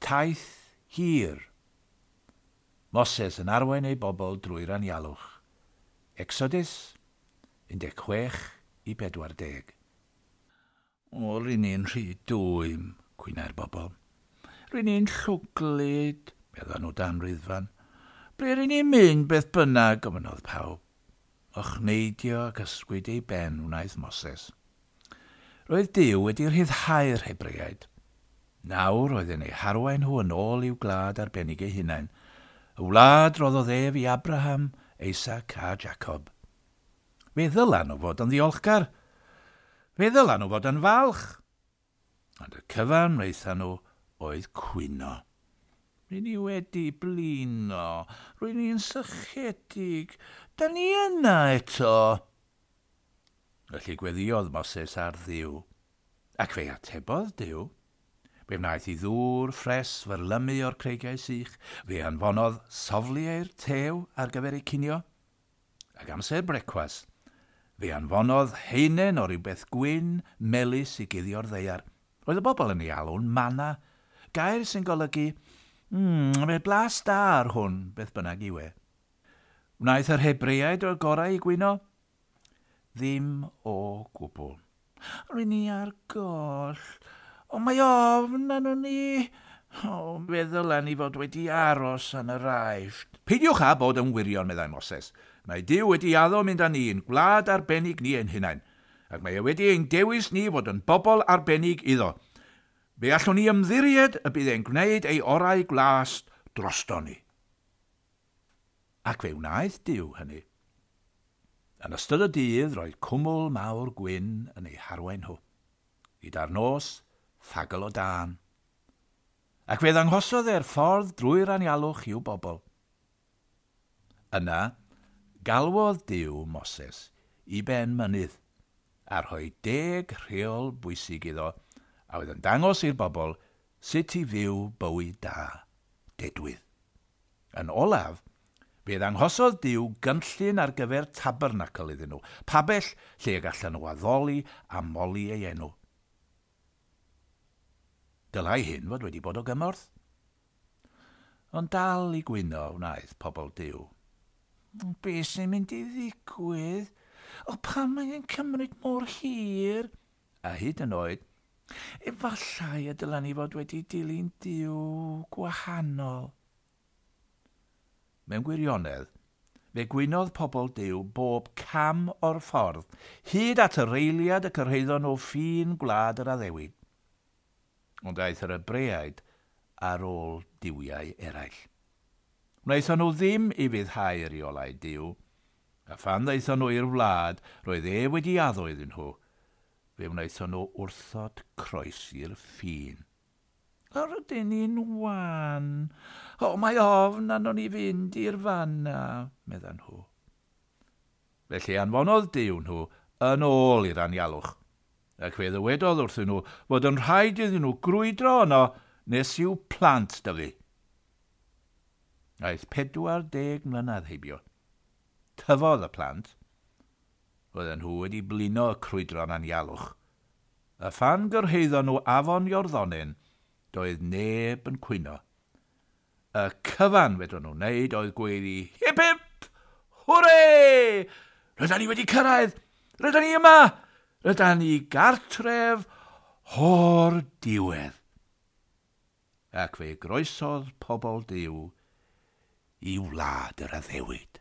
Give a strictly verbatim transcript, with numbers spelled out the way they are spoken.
Taith hir. Moses yn arwain ei bobl drwy'r anialwch. Exodus un deg chwech i pedwar deg. "O, rydyn ni'n rhy dwym," cwynai'r bobl. "Rydyn ni'n llwglyd," medda nhw dan riddfan. "Ble rydyn ni'n mynd beth bynnag?" gofynnodd pawb. Ochneidio ac ysgwyd ei ben wnaeth Moses. Roedd Duw wedi rhyddhau'r Hebreaid. Nawr oedd yn eu harwain nhw yn ôl i'w gwlad arbennig eu hunain, y wlad roddodd ef i Abraham, Isaac a Jacob. Fe ddylan nhw fod yn ddiolchgar. Fe ddylan nhw fod yn falch. Ond y cyfan wnaethon nhw oedd cwyno. "Rydyn ni wedi blino. Rydyn ni'n sychedig. Da ni yna eto." Felly gweddiodd Moses ar Dduw. Ac fe atebodd Duw. Fe wnaeth i ddŵr ffres fyrlymu o'r creigiau sych. Fe anfonodd sofliau'r tew ar gyfer eu cinio. Ac amser brecwast, fe anfonodd heinen o rywbeth gwyn, melus i guddio'r ddaear. Roedd y bobl yn ei alw'n manna, gair sy'n golygu, mm, mae blas da ar hwn, beth bynnag yw e." Wnaeth yr Hebreaid o'r gorau i gwyno? Ddim o gwbl. "Rydyn ni ar goll. O, mae ofn arno ni. O, fe ddylen ni fod wedi aros yn yr Aifft." "Peidiwch â bod yn wirion," meddai Moses. "Mae Duw wedi addo mynd â ni i'n gwlad arbennig ni ein hunain, ac mae e wedi ein dewis ni fod yn bobl arbennig iddo. Fe allwn ni ymddiried y bydd e'n gwneud ei orau glas drosto ni." Ac fe wnaeth Duw hynny. Yn ystod y dydd roedd cwmwl mawr gwyn yn eu harwain nhw. Gyda'r nos, ffagl o dân. Ac fe ddanghosodd e'r ffordd drwy'r anialwch i'w bobl. Yna, galwodd Duw Moses i ben mynydd a rhoi deg rheol bwysig iddo a oedd yn dangos i'r bobl sut i fyw bywyd da, dedwydd. Yn olaf, fe ddanghosodd Duw gynllun ar gyfer tabernacl iddyn nhw, pabell lle y gallan nhw addoli a moli ei enw. Dylai hyn fod wedi bod o gymorth. Ond dal i gwyno wnaeth pobl Duw. "Be sy'n mynd i ddigwydd? O, pam mae'n cymryd mor hir?" A hyd yn oed, "Efallai y dylen ni fod wedi dilyn Duw gwahanol." Mewn gwirionedd, fe gwynodd pobl Duw bob cam o'r ffordd, hyd at yr eiliad y cyrhaeddon nhw ffin gwlad yr addewid. Ond aeth yr Hebreaid ar ôl duwiau eraill. Wnaethon nhw ddim ufuddhau i reolau Duw, a phan ddaethon nhw i'r wlad roedd e wedi addo iddyn nhw, fe wnaethon nhw wrthod croesi'r ffin. "O, rydyn ni'n wan. O, mae ofn arno ni fynd i'r fanna," meddan nhw. Felly anfonodd Duw nhw yn ôl i'r anialwch, ac fe ddywedodd wrthyn nhw fod yn rhaid iddyn nhw grwydro yno nes i'w plant dyfu. Aeth pedwar deg mlynedd heibio. Tyfodd y plant. Roedden nhw wedi blino y crwydro'n anialwch. A phan gyrhaeddon nhw afon Iorddonen, doedd neb yn cwyno. Y cyfan fedrwn nhw wneud oedd gweiddi, "Hip hip! Hwre! Rydyn ni wedi cyrraedd! Rydyn ni yma! Rydyn ni gartref o'r diwedd!" Ac fe groesodd pobl Duw i wlad yr addewid.